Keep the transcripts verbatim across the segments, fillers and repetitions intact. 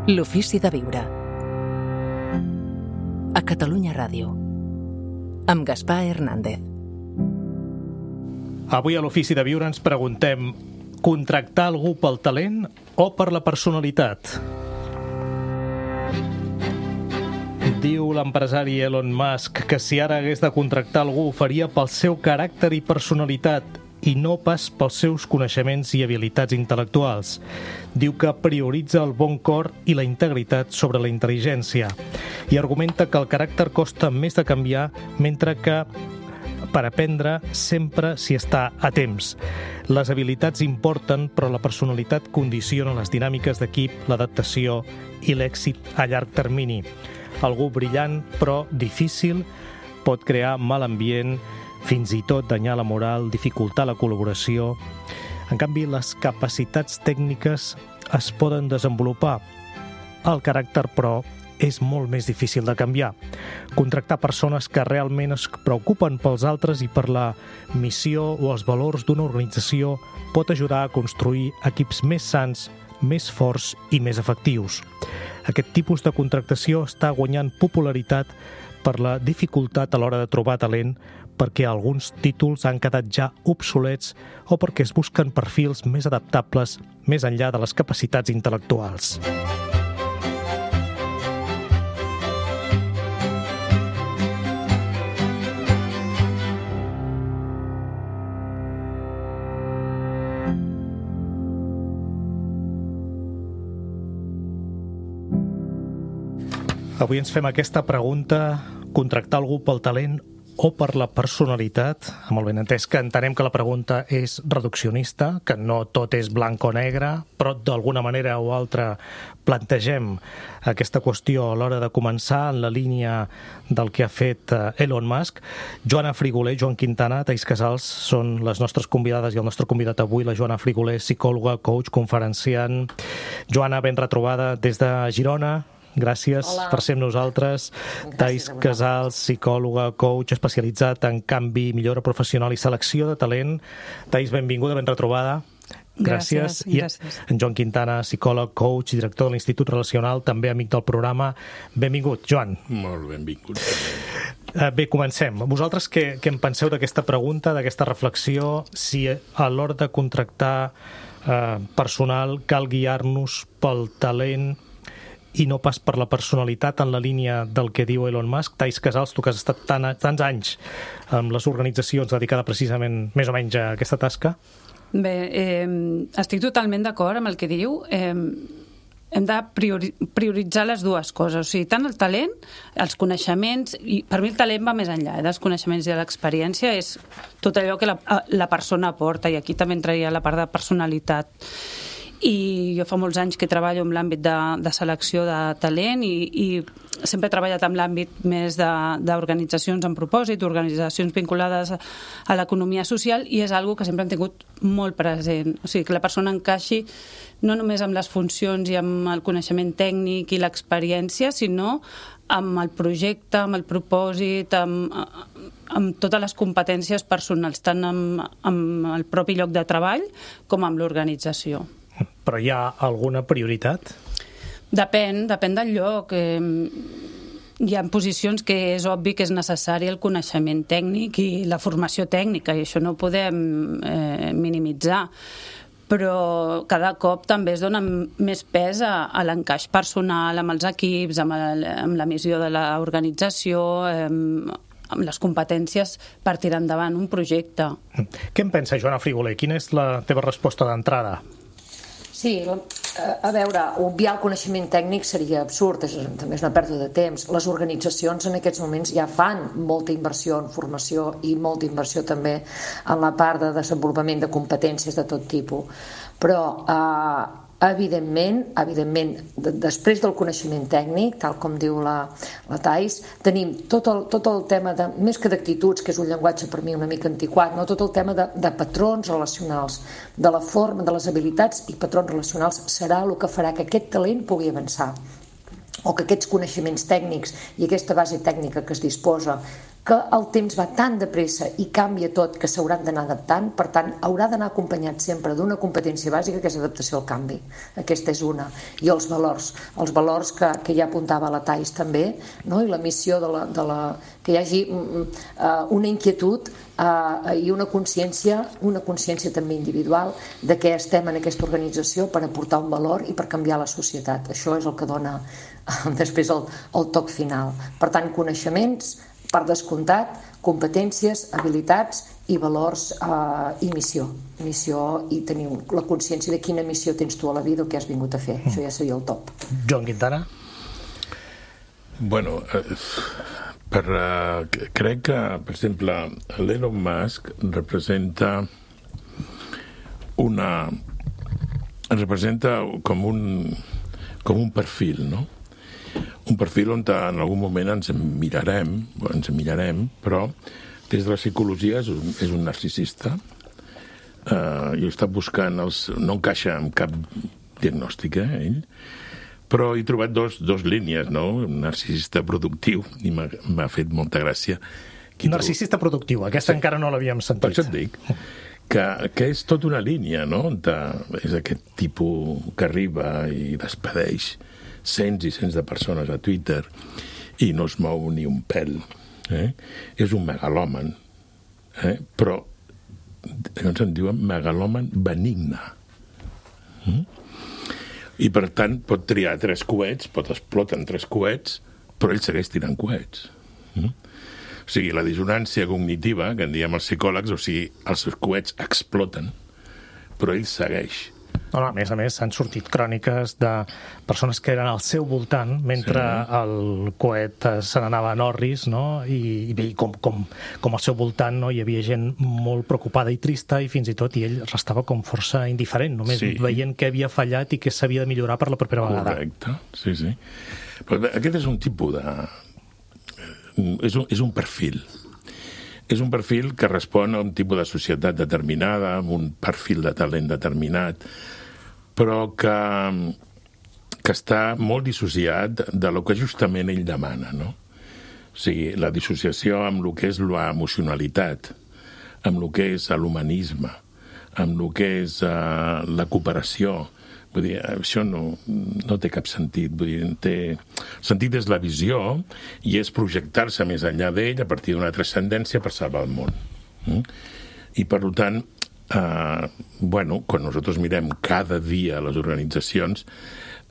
L'ofici de viure. A Catalunya Ràdio. Amb Gaspar Hernández. Avui a l'ofici de viure ens preguntem: contractar algú pel talent o per la personalitat? Diu l'empresari Elon Musk que si ara hagués de contractar algú ho faria pel seu caràcter i personalitat i no pas pels seus coneixements i habilitats intel·lectuals. Diu que prioritza el bon cor i la integritat sobre la intel·ligència i argumenta que el caràcter costa més de canviar, mentre que per aprendre sempre s'hi està a temps. Les habilitats importen, però la personalitat condiciona les dinàmiques d'equip, l'adaptació i l'èxit a llarg termini. Algú brillant, però difícil, pot crear mal ambient, fins i tot danyar la moral, dificultar la col·laboració. En canvi, les capacitats tècniques es poden desenvolupar. El caràcter, però, és molt més difícil de canviar. Contractar persones que realment es preocupen pels altres i per la missió o els valors d'una organització pot ajudar a construir equips més sants, més forts i més efectius. Aquest tipus de contractació està guanyant popularitat per la dificultat a l'hora de trobar talent, perquè alguns títols han quedat ja obsolets o perquè es busquen perfils més adaptables més enllà de les capacitats intel·lectuals. Avui ens fem aquesta pregunta: contractar algú pel talent o per la personalitat? Amb el benentès que entenem que la pregunta és reduccionista, que no tot és blanc o negre, però d'alguna manera o altra plantegem aquesta qüestió a l'hora de començar en la línia del que ha fet Elon Musk. Joana Frigoler, Joan Quintana, Taís Casals són les nostres convidades i el nostre convidat avui, la Joana Frigoler, psicòloga, coach, conferenciant. Joana, ben retrobada des de Girona. Gràcies Hola. Per ser amb nosaltres. Taís Casals, psicòloga, coach, especialitzat en canvi, millora professional i selecció de talent. Taís, benvinguda, ben retrobada. Gràcies. Gràcies. I gràcies. En Joan Quintana, psicòleg, coach i director de l'Institut Relacional, també amic del programa. Benvingut, Joan. Molt benvingut. Bé, comencem. Vosaltres què, què en penseu d'aquesta pregunta, d'aquesta reflexió, si a l'hora de contractar eh, personal cal guiar-nos pel talent i no pas per la personalitat, en la línia del que diu Elon Musk? Taís Casals, tu que has estat tan, tants anys amb les organitzacions dedicades precisament més o menys a aquesta tasca. Bé, eh, estic totalment d'acord amb el que diu. Eh, hem de priori, prioritzar les dues coses, o sigui, tant el talent, els coneixements, i per mi el talent va més enllà eh, dels coneixements i de l'experiència, és tot allò que la, la persona aporta, i aquí també entraria la part de personalitat. I jo fa molts anys que treballo en l'àmbit de, de selecció de talent i, i sempre he treballat en l'àmbit més d'organitzacions amb propòsit, organitzacions vinculades a l'economia social, i és algo que sempre hem tingut molt present. O sigui, que la persona encaixi no només amb les funcions i amb el coneixement tècnic i l'experiència, sinó amb el projecte, amb el propòsit, amb, amb totes les competències personals, tant amb, amb el propi lloc de treball com amb l'organització. Però hi ha alguna prioritat? Depèn, depèn del lloc. Hi ha posicions que és obvi que és necessari el coneixement tècnic i la formació tècnica, i això no ho podem eh, minimitzar. Però cada cop també es dona més pes a, a l'encaix personal amb els equips, amb, el, amb la missió de l'organització, eh, amb les competències per tirar endavant un projecte. Què en pensa, Joana Frigoler? Quina és la teva resposta d'entrada? Sí, a veure, obviar el coneixement tècnic seria absurd, és, també és una pèrdua de temps. Les organitzacions en aquests moments ja fan molta inversió en formació i molta inversió també en la part de desenvolupament de competències de tot tipus. Però eh, evidentment, evidentment després del coneixement tècnic, tal com diu la, la Taís, tenim tot el, tot el tema de, més que d'actituds, que és un llenguatge per mi una mica antiquat, no? Tot el tema de, de patrons relacionals, de la forma, de les habilitats i patrons relacionals serà el que farà que aquest talent pugui avançar, o que aquests coneixements tècnics i aquesta base tècnica que es disposa que el temps va tan de pressa i canvia tot que s'hauran d'anar adaptant, per tant, haurà d'anar acompanyat sempre d'una competència bàsica que és adaptació al canvi. Aquesta és una. I els valors, els valors que, que ja apuntava la Thais també, no? I la missió de la, de la, que hi hagi uh, una inquietud uh, i una consciència, una consciència també individual de què estem en aquesta organització per aportar un valor i per canviar la societat. Això és el que dona uh, després el, el toc final. Per tant, coneixements, per descomptat, competències, habilitats i valors eh, i missió. Missió i tenir la consciència de quina missió tens tu a la vida o què has vingut a fer. Mm. Això ja seria el top. Joan Quintana? Bueno, eh, per, eh, crec que, per exemple, l'Elon Musk representa una... representa com un, com un perfil, no? Un perfil on en algun moment ens mirarem, ens mirarem, però des de la psicologia és un, és un narcisista. Uh, I està buscant els... No encaixa en cap diagnòstic, eh, ell, però he trobat dos, dos línies, no? Un narcisista productiu, i m'ha fet molta gràcia. Qui narcisista trobo... productiu, aquesta sí. Encara no l'havíem sentit. Per això et dic que, que és tota una línia, no? De, és aquest tipus que arriba i despedeix cents i cents de persones a Twitter i no es mou ni un pèl. Eh? És un megalòman, eh? Però llavors en diuen megalòman benigne. Mm? I per tant pot triar tres coets, pot explotar en tres coets, però ell segueix tirant coets. Mm? O sigui, la dissonància cognitiva, que en diem els psicòlegs, o sigui, els seus coets exploten, però ell segueix. No, no, a més a més, s'han sortit cròniques de persones que eren al seu voltant mentre sí. El coet se n'anava a Norris, no? I, i com, com, com al seu voltant no? Hi havia gent molt preocupada i trista i fins i tot i ell restava com força indiferent, només sí. Veient què havia fallat i què s'havia de millorar per la propera vegada. Correcte, sí, sí. Però aquest és un tipus de... És un, és un perfil. És un perfil que respon a un tipus de societat determinada, amb un perfil de talent determinat, però que, que està molt dissociat de lo que justament ell demana, no? O sigui, la dissociació amb el que és l'emocionalitat, amb el que és l'humanisme, amb el que és uh, la cooperació. Vull dir, això no, no té cap sentit. Vull dir, té... El sentit és la visió i és projectar-se més enllà d'ell a partir d'una transcendència per salvar el món. Mm? I, per tant, eh, bueno, quan nosaltres mirem cada dia les organitzacions,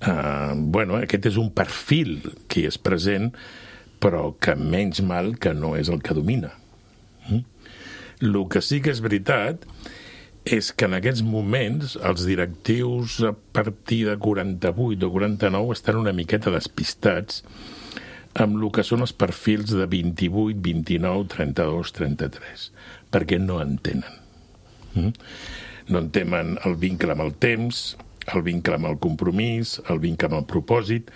eh, bueno, aquest és un perfil que hi és present, però que menys mal que no és el que domina. Mm? El que sí que és veritat és que en aquests moments els directius a partir de quaranta-vuit o quaranta-nou estan una miqueta despistats amb el que són els perfils de vint-i-vuit, vint-i-nou, trenta-dos, trenta-tres, perquè no entenen. Mm? No entenen el vincle amb el temps, el vincle amb el compromís, el vincle amb el propòsit.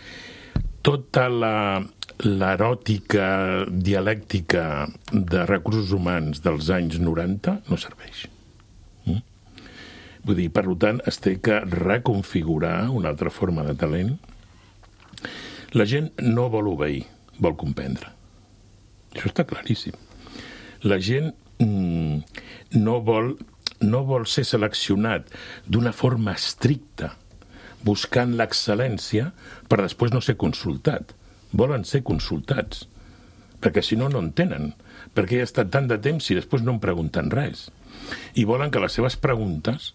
Tota la, l'eròtica dialèctica de recursos humans dels anys noranta no serveix. Vull dir, per tant, es té que reconfigurar una altra forma de talent. La gent no vol obeir, vol comprendre. Això està claríssim. La gent mm, no, vol, no vol ser seleccionat d'una forma estricta, buscant l'excel·lència per després no ser consultat. Volen ser consultats, perquè si no, no entenen. Perquè he estat tant de temps i després no em pregunten res. I volen que les seves preguntes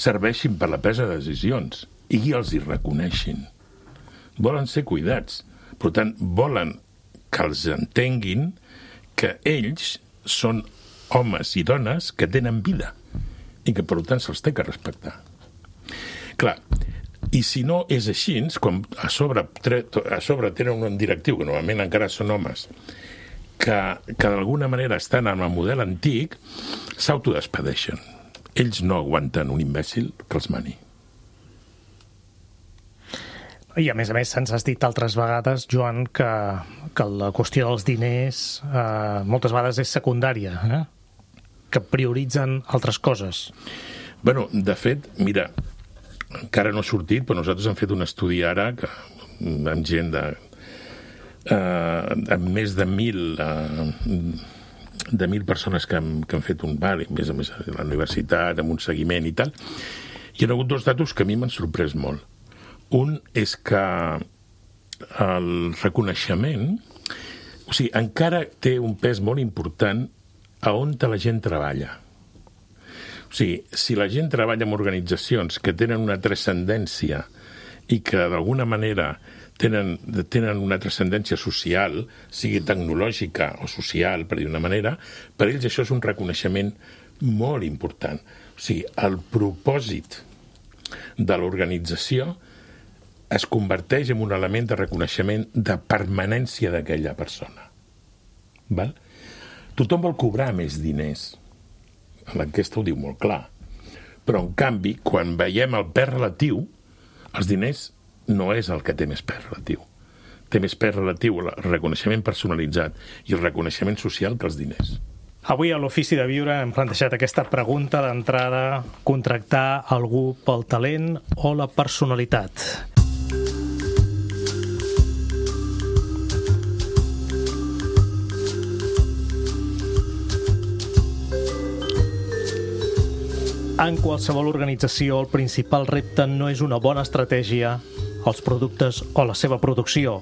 serveixin per la presa de decisions i els hi reconeixin. Volen ser cuidats. Per tant, volen que els entenguin que ells són homes i dones que tenen vida i que, per tant, se'ls té que respectar. Clar, i si no és així, quan a sobre, a sobre tenen un directiu, que normalment encara són homes, que, que d'alguna manera estan en el model antic, s'autodespedeixen. Ells no aguanten un imbècil que els mani. I a més a més se'ns has dit altres vegades, Joan, que, que la qüestió dels diners eh, moltes vegades és secundària, eh? Que prioritzen altres coses. Bueno, de fet, mira, encara no ha sortit, però nosaltres hem fet un estudi ara que, amb gent de, eh, amb més de mil... Eh, de mil persones que han, que han fet un bar, més a més a la universitat, amb un seguiment i tal, hi ha hagut dos datos que a mi m'han sorprès molt. Un és que el reconeixement, o sigui, encara té un pes molt important a on la gent treballa. O sigui, si la gent treballa en organitzacions que tenen una transcendència i que d'alguna manera tenen, tenen una transcendència social, sigui tecnològica o social, per dir una manera, per ells això és un reconeixement molt important. O sigui, el propòsit de l'organització es converteix en un element de reconeixement de permanència d'aquella persona. Val? Tothom vol cobrar més diners. L'enquesta ho diu molt clar. Però, en canvi, quan veiem el pes relatiu, els diners no és el que té més pes relatiu. Té més pes relatiu el reconeixement personalitzat i el reconeixement social que els diners. Avui a l'Ofici de Viure hem plantejat aquesta pregunta d'entrada: contractar algú pel talent o la personalitat? En qualsevol organització, el principal repte no és una bona estratègia, els productes o la seva producció.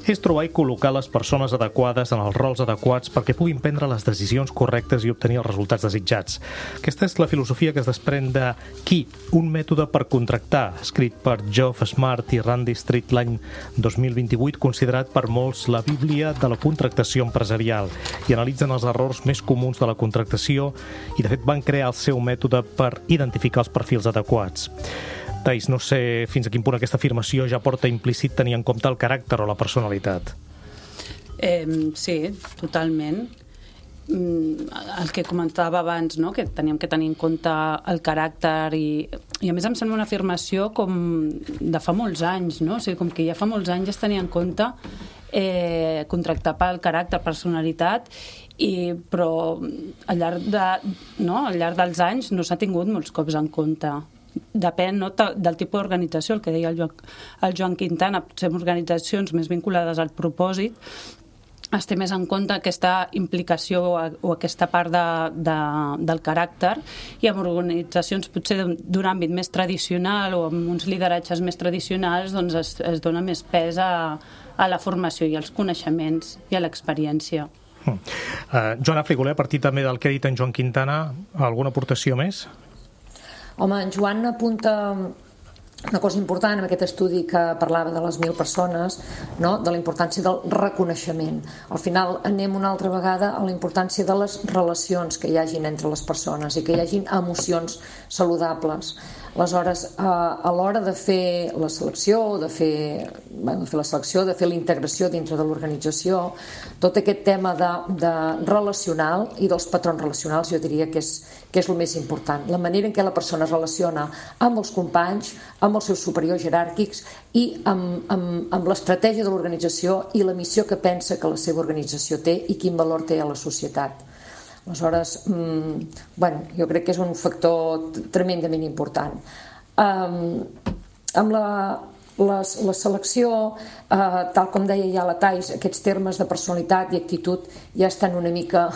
És trobar i col·locar les persones adequades en els rols adequats perquè puguin prendre les decisions correctes i obtenir els resultats desitjats. Aquesta és la filosofia que es desprèn de Qui, un mètode per contractar, escrit per Geoff Smart i Randy Street l'any dos mil vint-i-vuit, considerat per molts la bíblia de la contractació empresarial, i analitzen els errors més comuns de la contractació i, de fet, van crear el seu mètode per identificar els perfils adequats. Thais, no sé fins a quin punt aquesta afirmació ja porta implícit tenir en compte el caràcter o la personalitat. Eh, sí, totalment. Mm, el que comentava abans, no? Que teníem que tenir en compte el caràcter i, i a més em sembla una afirmació com de fa molts anys, no? O sigui, com que ja fa molts anys es tenia en compte eh, contractar pel caràcter, personalitat, i, però al llarg, de, no? al llarg dels anys no s'ha tingut molts cops en compte. Depèn, no, del tipus d'organització, el que deia el, jo, el Joan Quintana, potser en organitzacions més vinculades al propòsit es té més en compte aquesta implicació o, o aquesta part de, de, del caràcter, i en organitzacions potser d'un àmbit més tradicional o amb uns lideratges més tradicionals doncs es, es dona més pes a, a la formació i als coneixements i a l'experiència. Mm. Uh, Joana Frigoler, a partir també del que ha dit en Joan Quintana, alguna aportació més? Home, en Joan apunta una cosa important en aquest estudi que parlava de les mil persones, no? De la importància del reconeixement. Al final anem una altra vegada a la importància de les relacions que hi hagin entre les persones i que hi hagin emocions saludables. Aleshores, a l'hora de fer la selecció, de fer, bueno, de fer la selecció, de fer la integració dintre de l'organització, tot aquest tema de, de relacional i dels patrons relacionals jo diria que és, que és el més important. La manera en què la persona es relaciona amb els companys, amb els seus superiors jeràrquics i amb, amb, amb l'estratègia de l'organització i la missió que pensa que la seva organització té i quin valor té a la societat. Aleshores, mmm, bueno, jo crec que és un factor tremendament important. Um, amb la, la, la selecció, uh, tal com deia ja la Thais, aquests termes de personalitat i actitud ja estan una mica,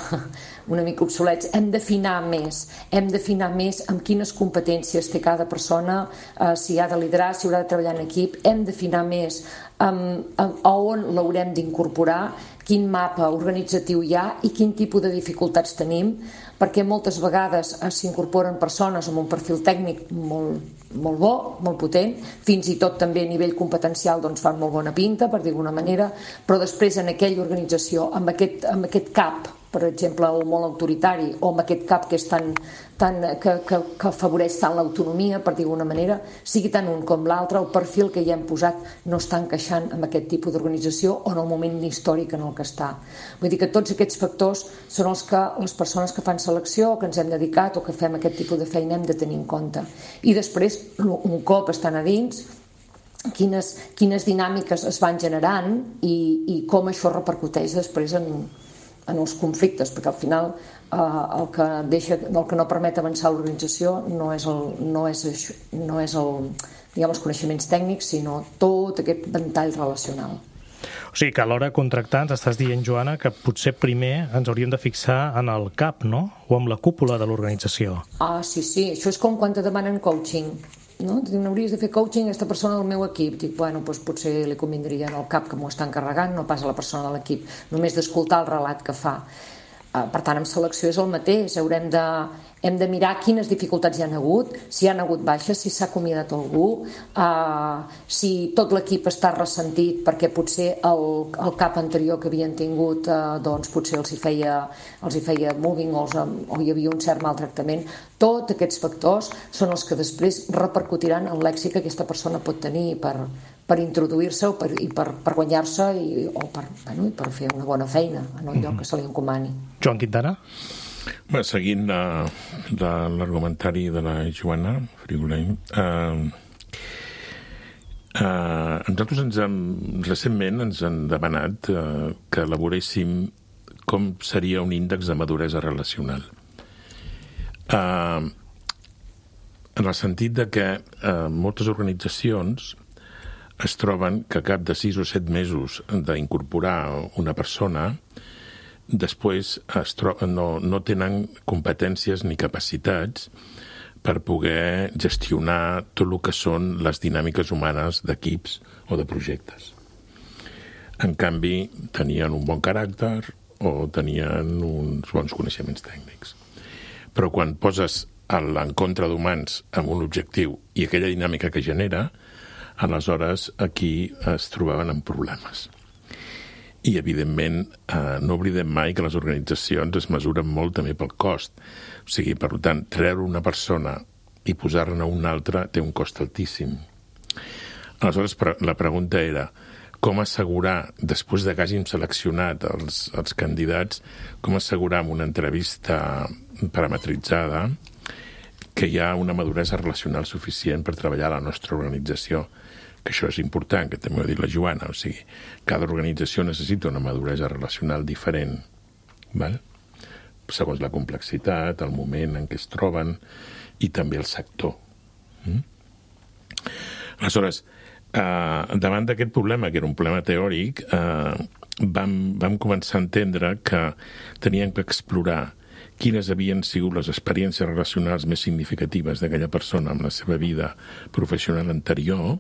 una mica obsolets. Hem d'afinar més, hem d'afinar més amb quines competències té cada persona, uh, si ha de liderar, si haurà de treballar en equip, hem d'afinar més um, a on l'haurem d'incorporar, quin mapa organitzatiu hi ha i quin tipus de dificultats tenim, perquè moltes vegades s'incorporen persones amb un perfil tècnic molt, molt bo, molt potent, fins i tot també a nivell competencial doncs fan molt bona pinta, per dir d'alguna manera, però després en aquella organització, amb aquest, amb aquest cap, per exemple, el molt autoritari, o amb aquest cap que és tan, tan, que, que, que afavoreix tant l'autonomia, per dir d'alguna manera, sigui tant un com l'altre, el perfil que hi hem posat no està encaixant amb aquest tipus d'organització o en el moment històric en el que està. Vull dir que tots aquests factors són els que les persones que fan selecció o que ens hem dedicat o que fem aquest tipus de feina hem de tenir en compte. I després, un cop estan a dins, quines, quines dinàmiques es van generant i, i com això repercuteix després en en els conflictes, perquè al final eh, el, que deixa, el que no permet avançar l'organització no és, el, no és, no és el, diguem, els coneixements tècnics, sinó tot aquest ventall relacional. O O sigui que a l'hora de contractar ens estàs dient, Joana, que potser primer ens hauríem de fixar en el cap, no? O amb la cúpula de l'organització. Ah, sí, sí. Això és com quan te demanen coaching. No? Diuen, hauries de fer coaching a aquesta persona del meu equip. Dic, bueno, doncs potser li convindria en el cap que m'ho està encarregant, no pas a la persona de l'equip. Només d'escoltar el relat que fa. Per tant, amb selecció és el mateix. Haurem de, hem de mirar quines dificultats hi ha hagut, si hi ha hagut baixes, si s'ha acomiadat algú, uh, si tot l'equip està ressentit perquè potser el, el cap anterior que havien tingut uh, doncs potser els hi feia, els hi feia moving o, els, o hi havia un cert maltractament. Tots aquests factors són els que després repercutiran en l'èxit que aquesta persona pot tenir per, per introduir-se o per, i per, per guanyar-se i, o per, bueno, per fer una bona feina en el lloc que se li encomani. Joan Quintana? Bé, seguint la, la, l'argumentari de la Joana Frigoleny, eh, eh, nosaltres ens hem, recentment ens han demanat eh, que elaboréssim com seria un índex de maduresa relacional. Eh, en el sentit de que eh, moltes organitzacions es troben que a cap de sis o set mesos d'incorporar una persona després es tro- no, no tenen competències ni capacitats per poder gestionar tot el que són les dinàmiques humanes d'equips o de projectes. En canvi, tenien un bon caràcter o tenien uns bons coneixements tècnics. Però quan poses l'encontre d'humans amb un objectiu i aquella dinàmica que genera, aleshores aquí es trobaven amb problemes. I, evidentment, eh, no oblidem mai que les organitzacions es mesuren molt també pel cost. O sigui, per tant, treure una persona i posar-ne una altra té un cost altíssim. Aleshores, la pregunta era com assegurar, després de que hàgim seleccionat els, els candidats, com assegurar amb una entrevista parametritzada que hi ha una maduresa relacional suficient per treballar a la nostra organització. Que això és important, que també ho ha dit la Joana, o sigui, cada organització necessita una maduresa relacional diferent, val? Segons la complexitat, el moment en què es troben i també el sector. Mm? Aleshores, eh, davant d'aquest problema, que era un problema teòric, eh, vam, vam començar a entendre que teníem que explorar quines havien sigut les experiències relacionals més significatives d'aquella persona en la seva vida professional anterior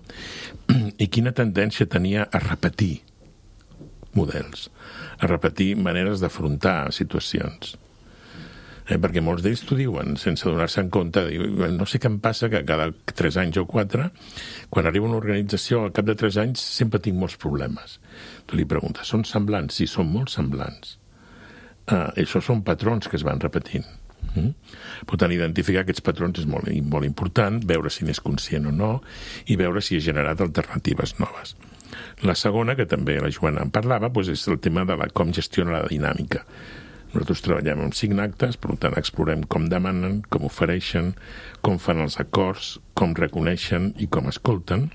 i quina tendència tenia a repetir models, a repetir maneres d'afrontar situacions. Eh, perquè molts d'ells t'ho diuen, sense donar-se en compte, diuen, no sé què em passa, que cada tres anys o quatre, quan arriba una organització, al cap de tres anys, sempre tinc molts problemes. Tu li preguntes, són semblants? Sí, són molt semblants. Uh, això són patrons que es van repetint. Mm? Per tant, identificar aquests patrons és molt, molt important, veure si n'és conscient o no i veure si ha generat alternatives noves. La segona, que també la Joana en parlava, doncs és el tema de la, com gestiona la dinàmica. Nosaltres treballem amb cinc actes, per tant explorem com demanen, com ofereixen, com fan els acords, com reconeixen i com escolten,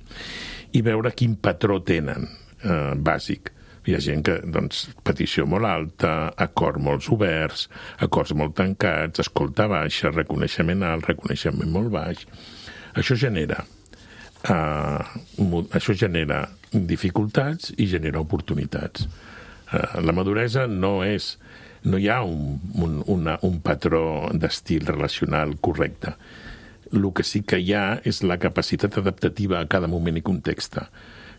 i veure quin patró tenen eh, bàsic. Hi ha gent que, doncs, petició molt alta, acords molt oberts, acords molt tancats, escolta baixa, reconeixement alt, reconeixement molt baix. Això genera, uh, això genera dificultats i genera oportunitats. Uh, la maduresa no és, no hi ha un, un, una, un patró d'estil relacional correcte. El que sí que hi ha és la capacitat adaptativa a cada moment i context,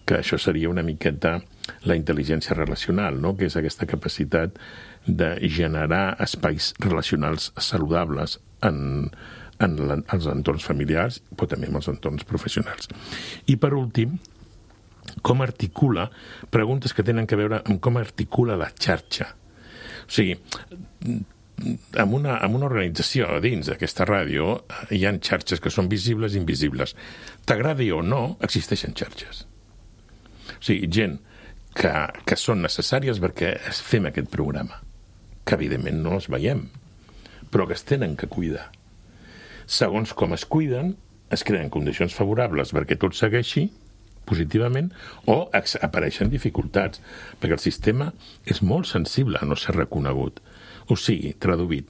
que això seria una miqueta la intel·ligència relacional, no? Que és aquesta capacitat de generar espais relacionals saludables en, en els entorns familiars, però també en els entorns professionals. I, per últim, com articula, preguntes que tenen a veure amb com articula la xarxa. O sigui, en una, en una organització dins d'aquesta ràdio hi ha xarxes que són visibles i invisibles. T'agradi o no, existeixen xarxes. O sigui, gent que, que són necessàries perquè fem aquest programa, que evidentment no els veiem, però que es tenen que cuidar. Segons com es cuiden, es creen condicions favorables perquè tot segueixi positivament o apareixen dificultats, perquè el sistema és molt sensible a no ser reconegut. O sigui, traduït,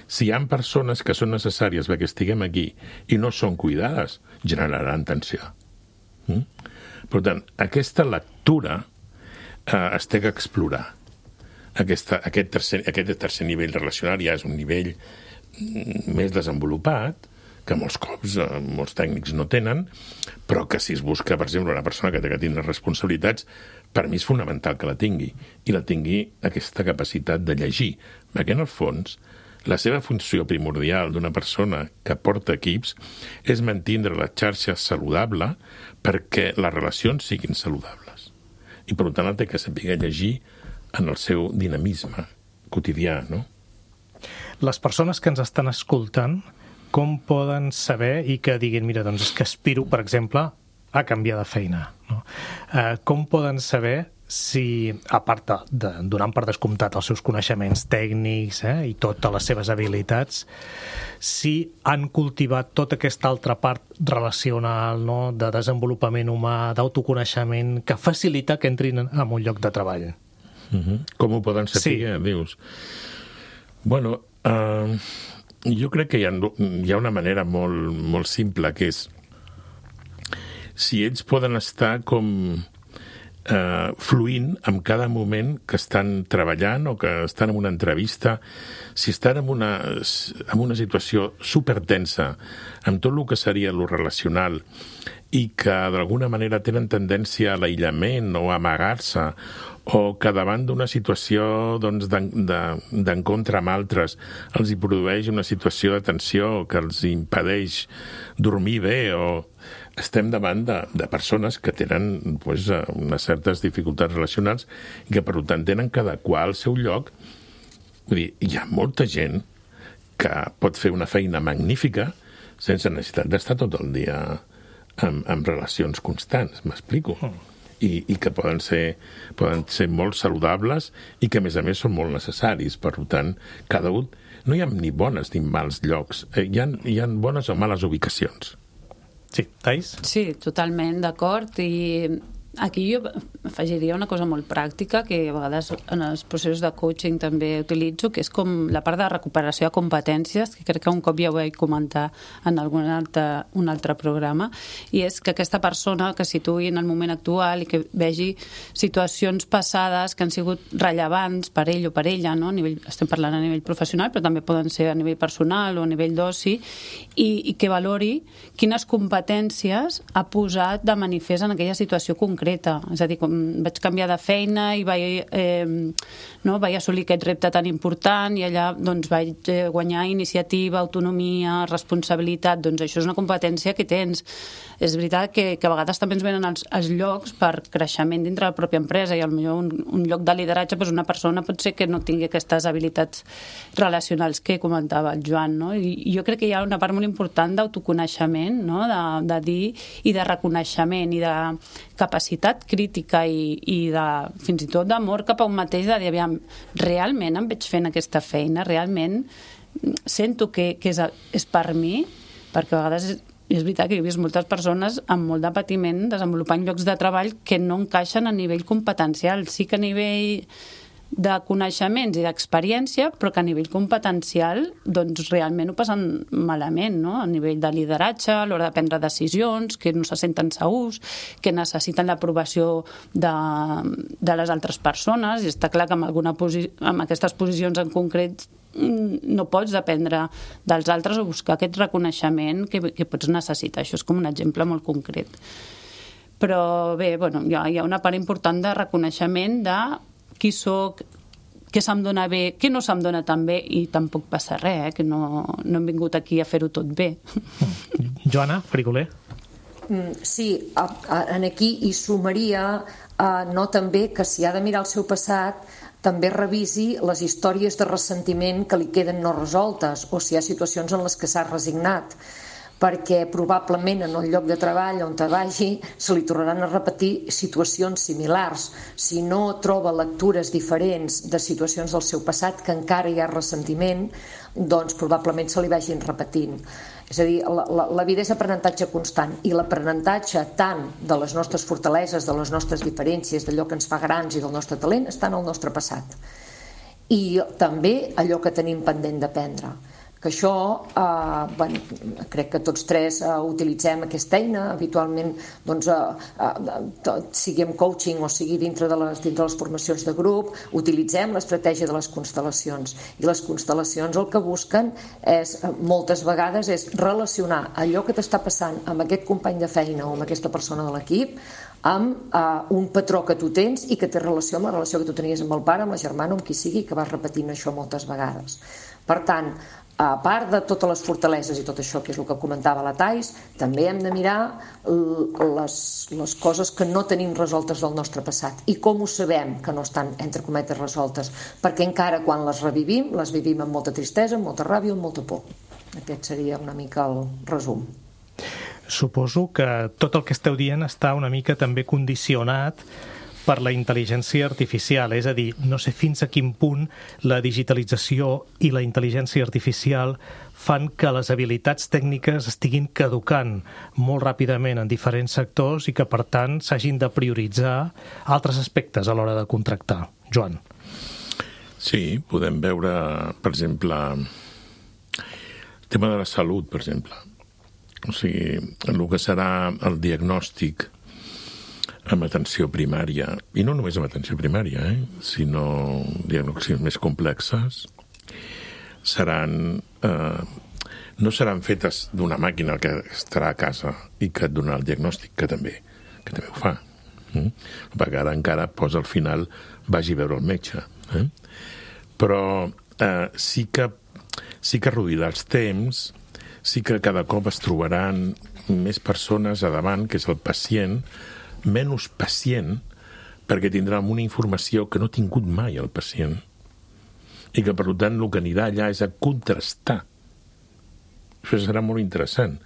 si hi ha persones que són necessàries perquè estiguem aquí i no són cuidades, generaran tensió. Mm? Per tant, aquesta lectura eh, es té que explorar. Aquesta, aquest, tercer, aquest tercer nivell relacional ja és un nivell més desenvolupat, que molts cops eh, molts tècnics no tenen, però que si es busca, per exemple, una persona que té que tindre responsabilitats, per mi és fonamental que la tingui, i la tingui aquesta capacitat de llegir. Perquè, en el fons, la seva funció primordial d'una persona que porta equips és mantindre la xarxa saludable perquè les relacions siguin saludables. I, per tant, té que saber llegir en el seu dinamisme quotidià, no? Les persones que ens estan escoltant, com poden saber i que diguin, mira, doncs és que aspiro, per exemple, a canviar de feina, no? Eh, com poden saber si, a part de, donant per descomptat els seus coneixements tècnics eh, i totes les seves habilitats, si han cultivat tota aquesta altra part relacional, no?, de desenvolupament humà, d'autoconeixement, que facilita que entrin en un lloc de treball? Uh-huh. Com ho poden saber, sí. Dius? Bueno, uh, jo crec que hi ha, hi ha una manera molt, molt simple, que és si ells poden estar com eh, fluint en cada moment que estan treballant o que estan en una entrevista, si estan en una, en una situació supertensa, amb tot el que seria lo relacional, i que d'alguna manera tenen tendència a l'aïllament o a amagar-se, o que davant d'una situació doncs, d'encontre amb altres els hi produeix una situació de tensió que els impedeix dormir bé, o estem davant de, de persones que tenen pues, unes certes dificultats relacionals i que per tant tenen que adequar al seu lloc. Vull dir, hi ha molta gent que pot fer una feina magnífica sense necessitat d'estar tot el dia amb, amb relacions constants, m'explico? I, i que poden ser, poden ser molt saludables i que, a més a més, són molt necessaris. Per tant, cada un... No hi ha ni bones ni mals llocs. Eh, hi ha, hi ha bones o males ubicacions. Sí, Thais? Sí, totalment d'acord. I aquí jo afegiria una cosa molt pràctica que a vegades en els processos de coaching també utilitzo, que és com la part de recuperació de competències, que crec que un cop ja ho vaig comentar en algun altre, un altre programa, i és que aquesta persona que situï en el moment actual i que vegi situacions passades que han sigut rellevants per ell o per ella, no? A nivell, estem parlant a nivell professional, però també poden ser a nivell personal o a nivell d'oci, i, i que valori quines competències ha posat de manifest en aquella situació concreta. És a dir, com vaig canviar de feina i vaig, eh, no, vaig assolir aquest repte tan important i allà doncs, vaig guanyar iniciativa, autonomia, responsabilitat. Doncs això és una competència que tens. És veritat que, que a vegades també ens venen els, els llocs per creixement dintre de la pròpia empresa i potser un, un lloc de lideratge, doncs una persona pot ser que no tingui aquestes habilitats relacionals que comentava el Joan, no? I jo crec que hi ha una part molt important d'autoconeixement, no? de, de dir i de reconeixement i de capacitat crítica i, i de, fins i tot d'amor cap a un mateix, de dir, aviam, realment em veig fent aquesta feina, realment sento que, que és, és per mi, perquè a vegades és, és veritat que he vist moltes persones amb molt de patiment desenvolupant llocs de treball que no encaixen a nivell competencial, sí que a nivell de coneixements i d'experiència, però que a nivell competencial doncs realment ho passen malament, no? A nivell de lideratge, a l'hora de prendre decisions, que no se senten segurs, que necessiten l'aprovació de, de les altres persones, i està clar que amb, alguna posi- amb aquestes posicions en concret no pots dependre dels altres o buscar aquest reconeixement que, que pots necessitar. Això és com un exemple molt concret. Però bé, bueno, hi ha, hi ha una part important de reconeixement de qui soc, què se'm dona bé, què no se'm dona tan bé, i tampoc passa res, eh? Que no, no hem vingut aquí a fer-ho tot bé. Joana, Frigoler? Sí, en aquí hi sumaria no també que si ha de mirar el seu passat també revisi les històries de ressentiment que li queden no resoltes o si hi ha situacions en les que s'ha resignat, perquè probablement en un lloc de treball on te vagi se li tornaran a repetir situacions similars. Si no troba lectures diferents de situacions del seu passat que encara hi ha ressentiment, doncs probablement se li vagin repetint. És a dir, la, la, la vida és aprenentatge constant, i l'aprenentatge tant de les nostres fortaleses, de les nostres diferències, d'allò que ens fa grans i del nostre talent, està en el nostre passat. I també allò que tenim pendent d'aprendre, que que això, eh, bueno, crec que tots tres eh, utilitzem aquesta eina, habitualment, doncs, eh, eh, tot, sigui en coaching o sigui dintre de, les, dintre de les formacions de grup, utilitzem l'estratègia de les constel·lacions. I les constel·lacions el que busquen és, moltes vegades, és relacionar allò que t'està passant amb aquest company de feina o amb aquesta persona de l'equip amb uh, un patró que tu tens i que té relació amb la relació que tu tenies amb el pare, amb la germana, amb qui sigui, que vas repetint això moltes vegades. Per tant, a part de totes les fortaleses i tot això, que és el que comentava la Thais, també hem de mirar les, les coses que no tenim resoltes del nostre passat i com ho sabem que no estan, entre cometes, resoltes, perquè encara quan les revivim, les vivim amb molta tristesa, amb molta ràbia, amb molta por. Aquest seria una mica el resum. Suposo que tot el que esteu dient està una mica també condicionat per la intel·ligència artificial, és a dir, no sé fins a quin punt la digitalització i la intel·ligència artificial fan que les habilitats tècniques estiguin caducant molt ràpidament en diferents sectors i que, per tant, s'hagin de prioritzar altres aspectes a l'hora de contractar. Joan. Sí, podem veure, per exemple, el tema de la salut, per exemple. O sigui, el que serà el diagnòstic amb atenció primària, i no només amb atenció primària, eh, sinó diagnòstics més complexes, seran, eh, no seran fetes d'una màquina que estarà a casa i que et donarà el diagnòstic, que també, que també ho fa. Mm? Perquè ara encara posa al final vagi a veure el metge. Eh? Però eh, sí que, sí que reduirà els temps, sí que cada cop es trobaran més persones a davant, que és el pacient, menys pacient, perquè tindrà una informació que no ha tingut mai el pacient i que, per tant, el que anirà allà és a contrastar. Això serà molt interessant,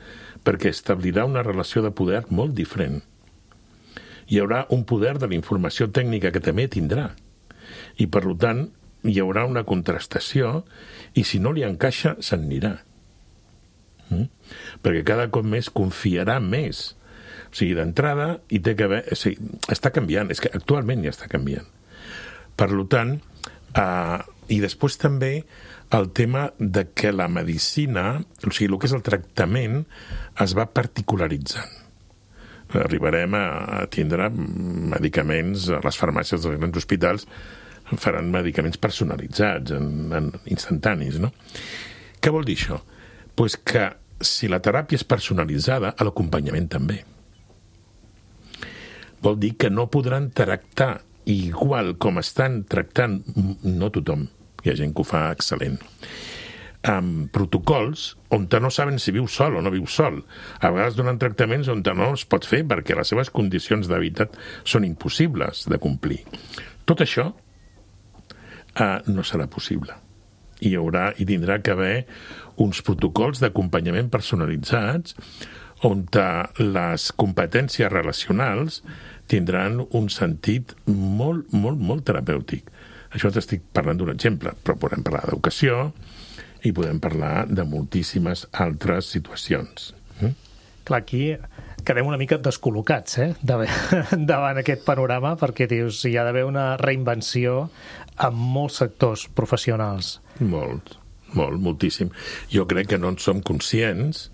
perquè establirà una relació de poder molt diferent. Hi haurà un poder de la informació tècnica que també tindrà i, per tant, hi haurà una contrastació i, si no li encaixa, se'n anirà. Mm? Perquè cada cop més confiarà més. O sigui, d'entrada, hi té que haver... O sigui, està canviant, és que actualment ja està canviant. Per tant, eh, i després també el tema de que la medicina, o sigui, el que és el tractament, es va particularitzant. Arribarem a, a tindre medicaments, a les farmàcies dels grans hospitals faran medicaments personalitzats, en, en instantanis, no? Què vol dir això? Pues que si la teràpia és personalitzada, l'acompanyament també. Vol dir que no podran tractar igual com estan tractant, no tothom, hi ha gent que ho fa excel·lent, amb protocols on no saben si viu sol o no viu sol. A vegades donen tractaments on no es pot fer perquè les seves condicions d'hàbitat són impossibles de complir. Tot això eh, no serà possible. Hi haurà i tindrà que haver uns protocols d'acompanyament personalitzats on les competències relacionals tindran un sentit molt, molt, molt terapèutic. Això t'estic parlant d'un exemple, però podem parlar d'educació i podem parlar de moltíssimes altres situacions. Mm? Clar, aquí quedem una mica descol·locats, eh? davant aquest panorama, perquè dius, hi ha d'haver una reinvenció en molts sectors professionals. Molt, molt, moltíssim. Jo crec que no en som conscients,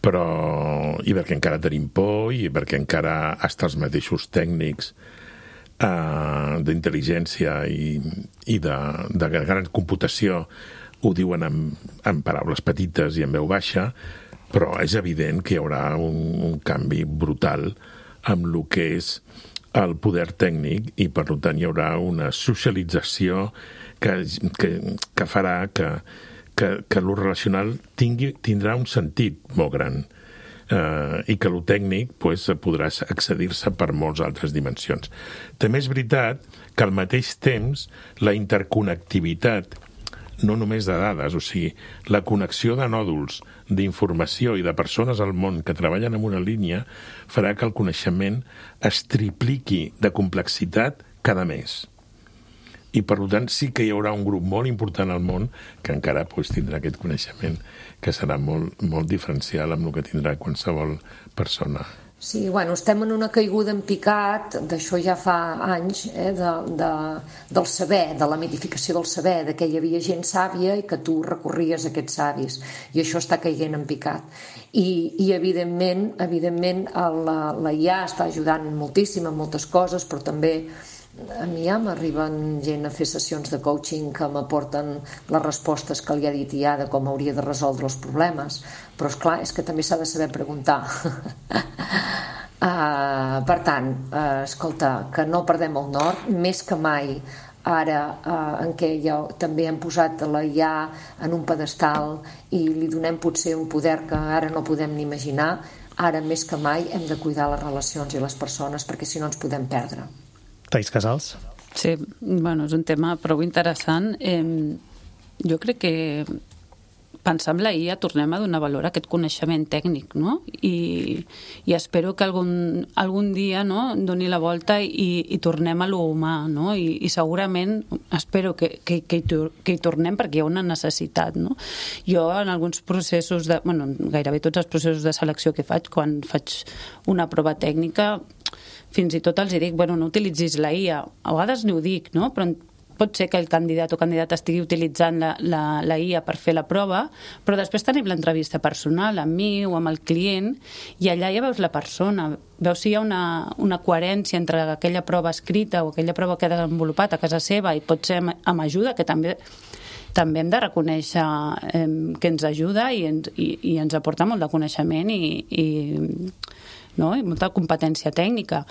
però i perquè encara tenim por i perquè encara hasta els mateixos tècnics eh, d'intel·ligència i, i de, de gran computació ho diuen en, en paraules petites i en veu baixa, però és evident que hi haurà un, un canvi brutal amb el que és el poder tècnic i, per tant, hi haurà una socialització que, que, que farà que, que, que lo relacional tingui, tindrà un sentit molt gran eh, i que lo tècnic pues, podrà accedir-se per moltes altres dimensions. També és veritat que al mateix temps la interconnectivitat no només de dades, o sigui, la connexió de nòduls d'informació i de persones al món que treballen en una línia farà que el coneixement es tripliqui de complexitat cada mes. I, per tant, sí que hi haurà un grup molt important al món que encara pues, tindrà aquest coneixement que serà molt, molt diferencial amb el que tindrà qualsevol persona. Sí, bueno, estem en una caiguda en picat, d'això ja fa anys, eh, de, de, del saber, de la mitificació del saber, de que hi havia gent sàvia i que tu recorries a aquests savis, i això està caient en picat. I, i evidentment, evidentment la, la I A està ajudant moltíssim en moltes coses, però també a mi ja m'arriben gent a fer sessions de coaching que m'aporten les respostes que li ha dit I A de com hauria de resoldre els problemes, però és clar, és que també s'ha de saber preguntar. uh, per tant, uh, escolta, que no perdem el nord, més que mai ara uh, en què ja també hem posat la I A en un pedestal i li donem potser un poder que ara no podem ni imaginar, ara més que mai hem de cuidar les relacions i les persones perquè si no ens podem perdre. Thais Casals. Sí, bueno, és un tema prou interessant. Eh, jo crec que pensar en la I A tornem a donar valor a aquest coneixement tècnic, no? I, i espero que algun, algun dia, no, doni la volta i, i tornem a lo humà, no? I, i segurament espero que, que, que, hi, que hi tornem perquè hi ha una necessitat, no? Jo en alguns processos de, bueno, gairebé tots els processos de selecció que faig, quan faig una prova tècnica, fins i tot els dic, bueno, no utilitzis la I A. A vegades ni ho dic, no? Però pot ser que el candidat o candidata estigui utilitzant la, la, la I A per fer la prova, però després tenim l'entrevista personal amb mi o amb el client i allà ja veus la persona, veus si hi ha una, una coherència entre aquella prova escrita o aquella prova que ha desenvolupat a casa seva i pot ser amb, amb ajuda, que també també hem de reconèixer eh, que ens ajuda i ens, i, i ens aporta molt de coneixement i, i, no? I molta competència tècnica.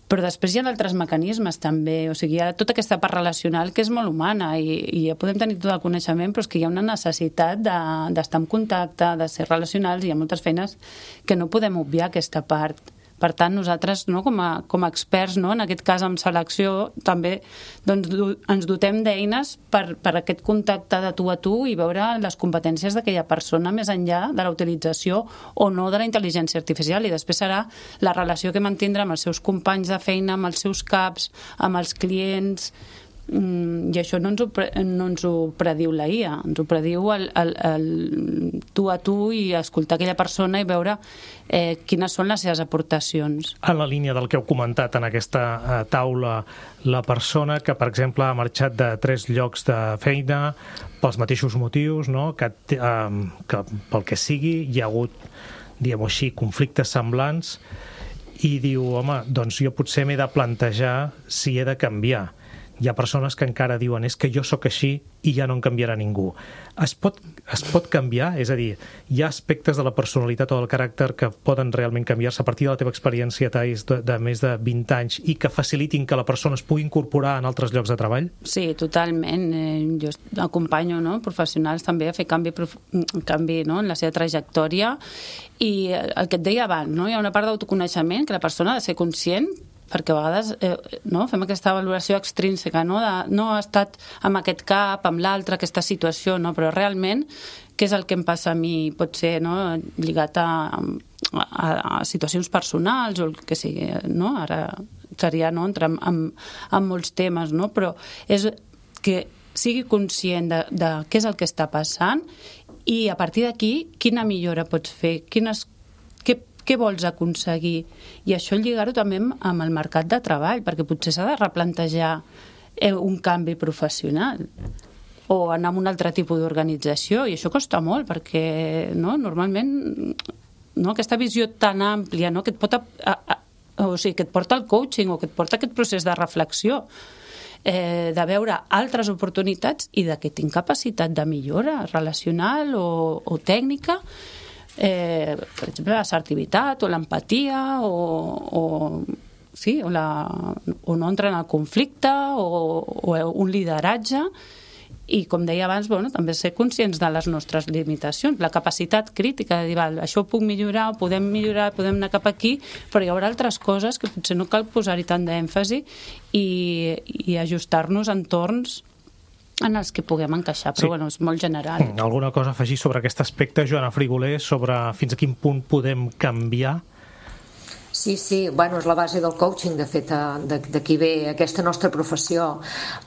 Però després hi ha altres mecanismes també, o sigui, hi ha tota aquesta part relacional que és molt humana i, i ja podem tenir tot el coneixement, però és que hi ha una necessitat de, d'estar en contacte, de ser relacionals, i hi ha moltes feines que no podem obviar aquesta part. Per tant, nosaltres, no, com, a, com a experts, no, en aquest cas amb selecció, també doncs, du, ens dotem d'eines per, per aquest contacte de tu a tu i veure les competències d'aquella persona més enllà de la utilització o no de la intel·ligència artificial, i després serà la relació que mantindrà amb els seus companys de feina, amb els seus caps, amb els clients. Mm, i això no ens, ho, no ens ho prediu la I A, ens ho prediu el, el, el tu a tu i escoltar aquella persona i veure eh, quines són les seves aportacions. En la línia del que heu comentat en aquesta eh, taula, la persona que, per exemple, ha marxat de tres llocs de feina pels mateixos motius, no? que, eh, que pel que sigui hi ha hagut, diguem-ho així, conflictes semblants, i diu, home, doncs jo potser m'he de plantejar si he de canviar. Hi ha persones que encara diuen és que jo sóc així i ja no em canviarà ningú. Es pot, es pot canviar? És a dir, hi ha aspectes de la personalitat o del caràcter que poden realment canviar-se a partir de la teva experiència, Thais, de, de més de vint anys i que facilitin que la persona es pugui incorporar en altres llocs de treball? Sí, totalment. Eh, jo acompanyo, no, professionals també a fer canvi, canvi no, en la seva trajectòria, i el que et deia abans, no, hi ha una part d'autoconeixement que la persona ha de ser conscient, perquè a vegades eh, no, fem aquesta valoració extrínseca, no, de, no ha estat amb aquest cap, amb l'altre, aquesta situació, no, però realment què és el que em passa a mi, pot ser, no, lligat a, a, a situacions personals o el que sigui, no? Ara seria, no, entrar en, en, en molts temes, no? Però és que sigui conscient de, de què és el que està passant i a partir d'aquí quina millora pots fer, quines què vols aconseguir, i això lligar-ho també amb el mercat de treball, perquè potser s'ha de replantejar un canvi professional o anar a un altre tipus d'organització, i això costa molt perquè no, normalment no, aquesta visió tan àmplia, no, que et pot a, a, o sigui, que et porta al coaching o que et porta aquest procés de reflexió, eh, de veure altres oportunitats i de que tinc capacitat de millora relacional o, o tècnica. Eh, per exemple, l'assertivitat o l'empatia o, o, sí, o, la, o no entrar en el conflicte o, o un lideratge, i com deia abans, bueno, també ser conscients de les nostres limitacions, la capacitat crítica de dir, val, això ho puc millorar, ho podem millorar, podem anar cap aquí, però hi haurà altres coses que potser no cal posar-hi tant d'èmfasi i, i ajustar-nos a entorns en els que puguem encaixar, però sí. Bueno, és molt general. Alguna cosa a afegir sobre aquest aspecte, Joana Frigoler, sobre fins a quin punt podem canviar? Sí, sí, bueno, és la base del coaching, de fet, d'aquí ve aquesta nostra professió.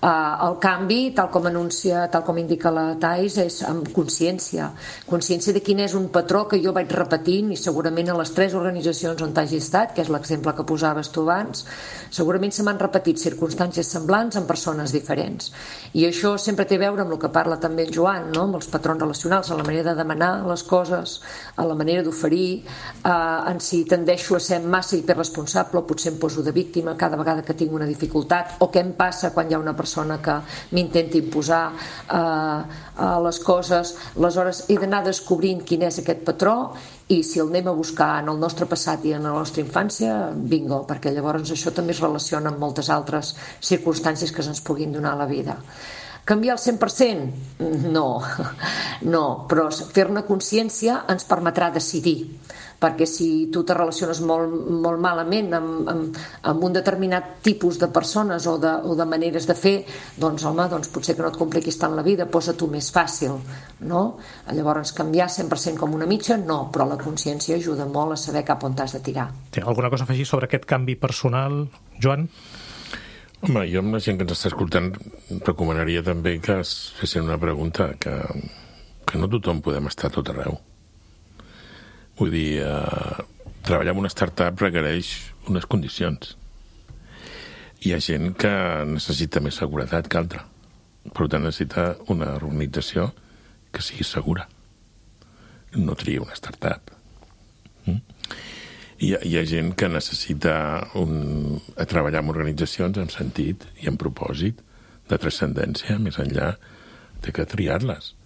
El canvi, tal com anuncia, tal com indica la Thais, és amb consciència. Consciència de quin és un patró que jo vaig repetint, i segurament a les tres organitzacions on hagi estat, que és l'exemple que posaves tu abans, segurament se m'han repetit circumstàncies semblants en persones diferents. I això sempre té a veure amb el que parla també el Joan, no? Amb els patrons relacionals, a la manera de demanar les coses, a la manera d'oferir, eh, en si tendeixo a ser massa hiperresponsable o potser em poso de víctima cada vegada que tinc una dificultat, o què em passa quan hi ha una persona que m'intenta imposar eh, les coses. Aleshores he d'anar descobrint quin és aquest patró, i si el anem a buscar en el nostre passat i en la nostra infància, bingo, perquè llavors això també es relaciona amb moltes altres circumstàncies que se'ns puguin donar a la vida. Canviar al cent per cent? No, no, però fer-ne consciència ens permetrà decidir, perquè si tu te relaciones molt, molt malament amb, amb, amb un determinat tipus de persones o de, o de maneres de fer, doncs home, doncs potser que no et compliquis tant la vida, posa-t'ho més fàcil, no? Llavors canviar cent per cent com una mitja, no, però la consciència ajuda molt a saber cap on t'has de tirar. Té alguna cosa a afegir sobre aquest canvi personal, Joan? Home, jo amb la gent que ens està escoltant recomanaria també que es fessin una pregunta, que, que no tothom podem estar a tot arreu. Vull dir, eh, treballar en una startup requereix unes condicions. Hi ha gent que necessita més seguretat que altra. Per tant, necessita una organització que sigui segura. No tria una startup. Mm? Hi ha, hi ha gent que necessita un, a treballar en organitzacions amb sentit i amb propòsit de transcendència, més enllà de que triar-les.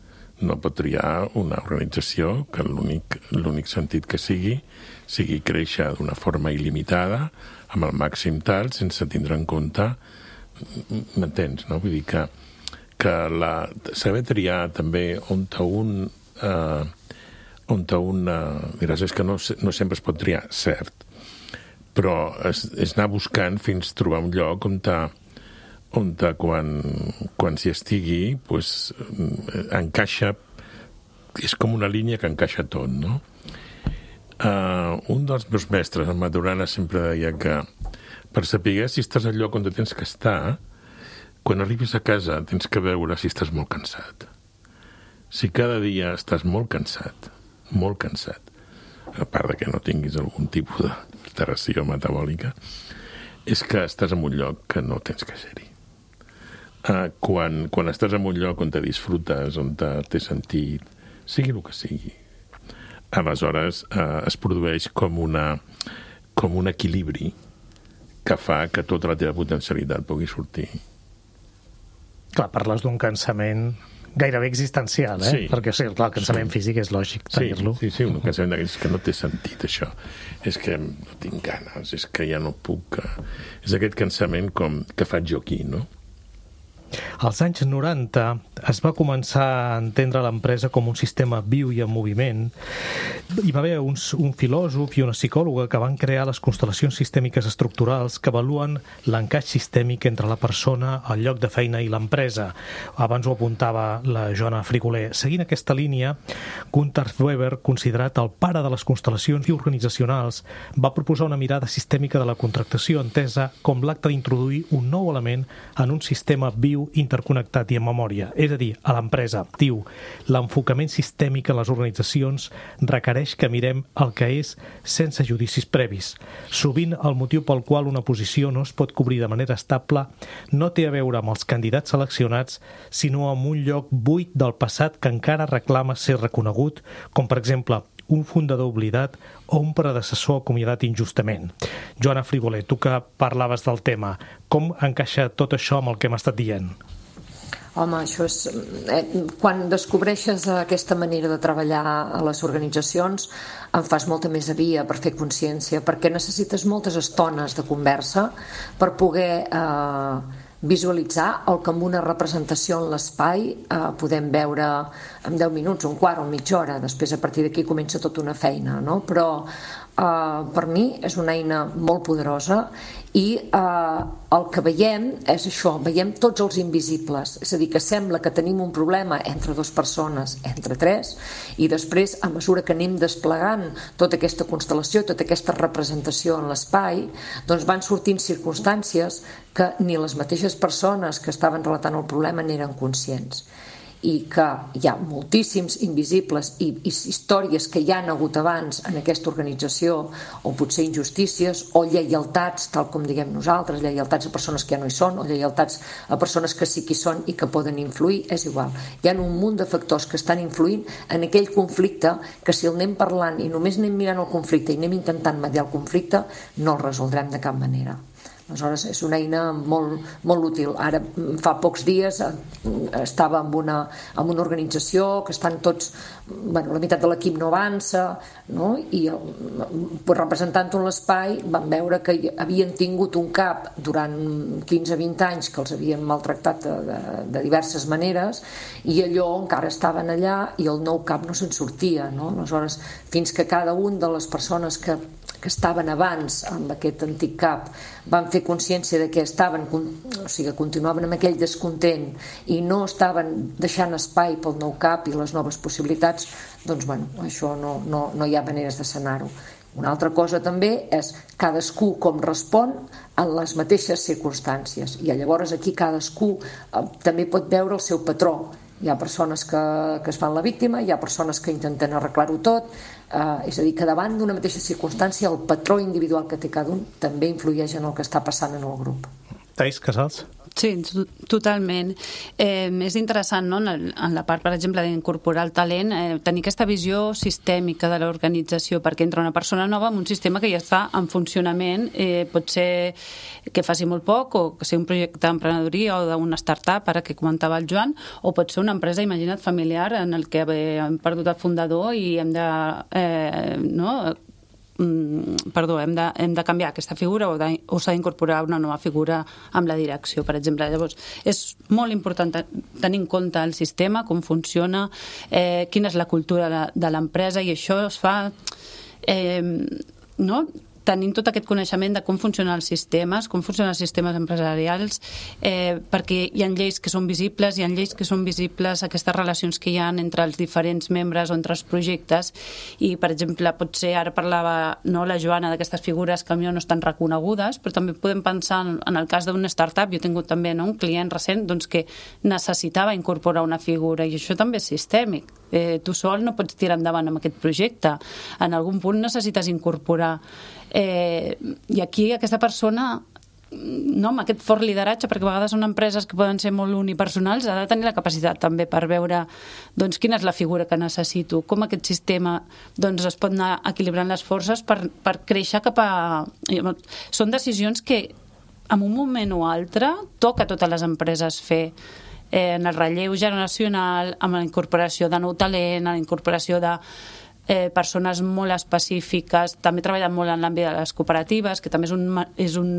No pot triar una organització que l'únic l'únic sentit que sigui sigui créixer d'una forma il·limitada, amb el màxim tal, sense tindre en compte, m'entens, no? Vull dir que, que la, saber triar també on un... Eh, on un... Eh, diràs, és que no, no sempre es pot triar, cert, però és, és anar buscant fins trobar un lloc on ta, on ta, quan, quan s'hi estigui, pues, encaixa, és com una línia que encaixa tot, no? Uh, un dels meus mestres, en Maturana, sempre deia que per saber si estàs al lloc on tens que estar, quan arribis a casa tens que veure si estàs molt cansat. Si cada dia estàs molt cansat, molt cansat, a part de que no tinguis algun tipus d'alteració metabòlica, és que estàs en un lloc que no tens que ser-hi. Uh, quan, quan estàs en un lloc on te disfrutes, on te, té sentit, sigui el que sigui, aleshores uh, es produeix com, una, com un equilibri que fa que tota la teva potencialitat pugui sortir. Clar, parles d'un cansament gairebé existencial, eh? Sí. Perquè sí, clar, el cansament sí. físic és lògic tenir-lo. Sí, sí, sí, un cansament d'aquests que no té sentit, això. És que no tinc ganes, és que ja no puc... És aquest cansament com que faig jo aquí, no? Als anys noranta es va començar a entendre l'empresa com un sistema viu i en moviment. Hi va haver uns, un filòsof i una psicòloga que van crear les constel·lacions sistèmiques estructurals que avaluen l'encaix sistèmic entre la persona, el lloc de feina i l'empresa. Abans ho apuntava la Joana Frigoler. Seguint aquesta línia, Gunther Weber, considerat el pare de les constel·lacions i organitzacionals, va proposar una mirada sistèmica de la contractació entesa com l'acte d'introduir un nou element en un sistema viu, interconnectat i en memòria, és a dir, a l'empresa. Diu, l'enfocament sistèmic en les organitzacions requereix que mirem el que és sense judicis previs. Sovint, el motiu pel qual una posició no es pot cobrir de manera estable no té a veure amb els candidats seleccionats, sinó amb un lloc buit del passat que encara reclama ser reconegut, com per exemple un fundador oblidat o un predecessor acomiadat injustament. Joana Frigoler, tu que parlaves del tema, com encaixa tot això amb el que hem estat dient? Home, això és... Eh, quan descobreixes aquesta manera de treballar a les organitzacions en fas molta més via per fer consciència, perquè necessites moltes estones de conversa per poder... Eh, visualitzar el que amb una representació en l'espai eh, podem veure en deu minuts, un quart o mitja hora. Després, a partir d'aquí, comença tota una feina, no? Però Uh, per mi és una eina molt poderosa i uh, el que veiem és això, veiem tots els invisibles, és a dir, que sembla que tenim un problema entre dues persones, entre tres, i després a mesura que anem desplegant tota aquesta constel·lació, tota aquesta representació en l'espai, doncs van sortint circumstàncies que ni les mateixes persones que estaven relatant el problema n'eren conscients, i que hi ha moltíssims invisibles i, i històries que hi han hagut abans en aquesta organització, o potser injustícies o lleialtats, tal com diguem nosaltres, lleialtats a persones que ja no hi són o lleialtats a persones que sí que hi són i que poden influir, és igual, hi ha un munt de factors que estan influint en aquell conflicte que si el anem parlant i només anem mirant el conflicte i anem intentant mediar el conflicte no el resoldrem de cap manera. Aleshores és una eina molt, molt útil. Ara fa pocs dies estava en una, en una organització que estan tots, bueno, la meitat de l'equip no avança, no? I representant un l'espai van veure que havien tingut un cap durant quinze a vint anys que els havien maltractat de, de, de diverses maneres i allò encara estaven allà i el nou cap no se'n sortia, no? Aleshores, fins que cada un de les persones que que estaven abans amb aquest antic cap van fer consciència de que estaven, o sigui, continuaven amb aquell descontent i no estaven deixant espai pel nou cap i les noves possibilitats, doncs bueno, això no, no, no hi ha maneres de sanar-ho. Una altra cosa també és cadascú com respon en les mateixes circumstàncies i llavors aquí cadascú eh, també pot veure el seu patró. Hi ha persones que, que es fan la víctima, hi ha persones que intenten arreglar-ho tot, eh, és a dir, que davant d'una mateixa circumstància el patró individual que té cada un també influeix en el que està passant en el grup. Thais Casals? Sí, totalment. Eh, és interessant, no?, en, el, en la part, per exemple, d'incorporar el talent, eh, tenir aquesta visió sistèmica de l'organització, perquè entra una persona nova en un sistema que ja està en funcionament, eh, pot ser que faci molt poc, o que sigui un projecte d'emprenedoria o d'una startup, ara que comentava el Joan, o pot ser una empresa, imagina't, familiar, en el que hem perdut el fundador i hem de... Eh, no?, perdó, hem de, hem de canviar aquesta figura o, de, o s'ha d'incorporar una nova figura amb la direcció, per exemple. Llavors, és molt important tenir en compte el sistema, com funciona, eh, quina és la cultura de, de l'empresa, i això es fa eh, no? tenint tot aquest coneixement de com funcionen els sistemes, com funcionen els sistemes empresarials, eh, perquè hi ha lleis que són visibles, hi ha lleis que són visibles, aquestes relacions que hi ha entre els diferents membres o entre els projectes, i, per exemple, potser ara parlava, no, la Joana, d'aquestes figures que potser no estan reconegudes, però també podem pensar en, en el cas d'una startup. Jo he tingut també, no, un client recent, doncs, que necessitava incorporar una figura, i això també és sistèmic. Eh, tu sol no pots tirar endavant amb aquest projecte. En algun punt necessites incorporar. Eh, I aquí aquesta persona, no, amb aquest fort lideratge, perquè a vegades són empreses que poden ser molt unipersonals, ha de tenir la capacitat també per veure, doncs, quina és la figura que necessito, com aquest sistema, doncs, es pot anar equilibrant les forces per, per créixer cap a... Són decisions que en un moment o altre toca a totes les empreses fer, eh, en el relleu generacional, amb la incorporació de nou talent, la incorporació de eh, persones molt específiques. També treballen molt en l'àmbit de les cooperatives, que també és un, és un,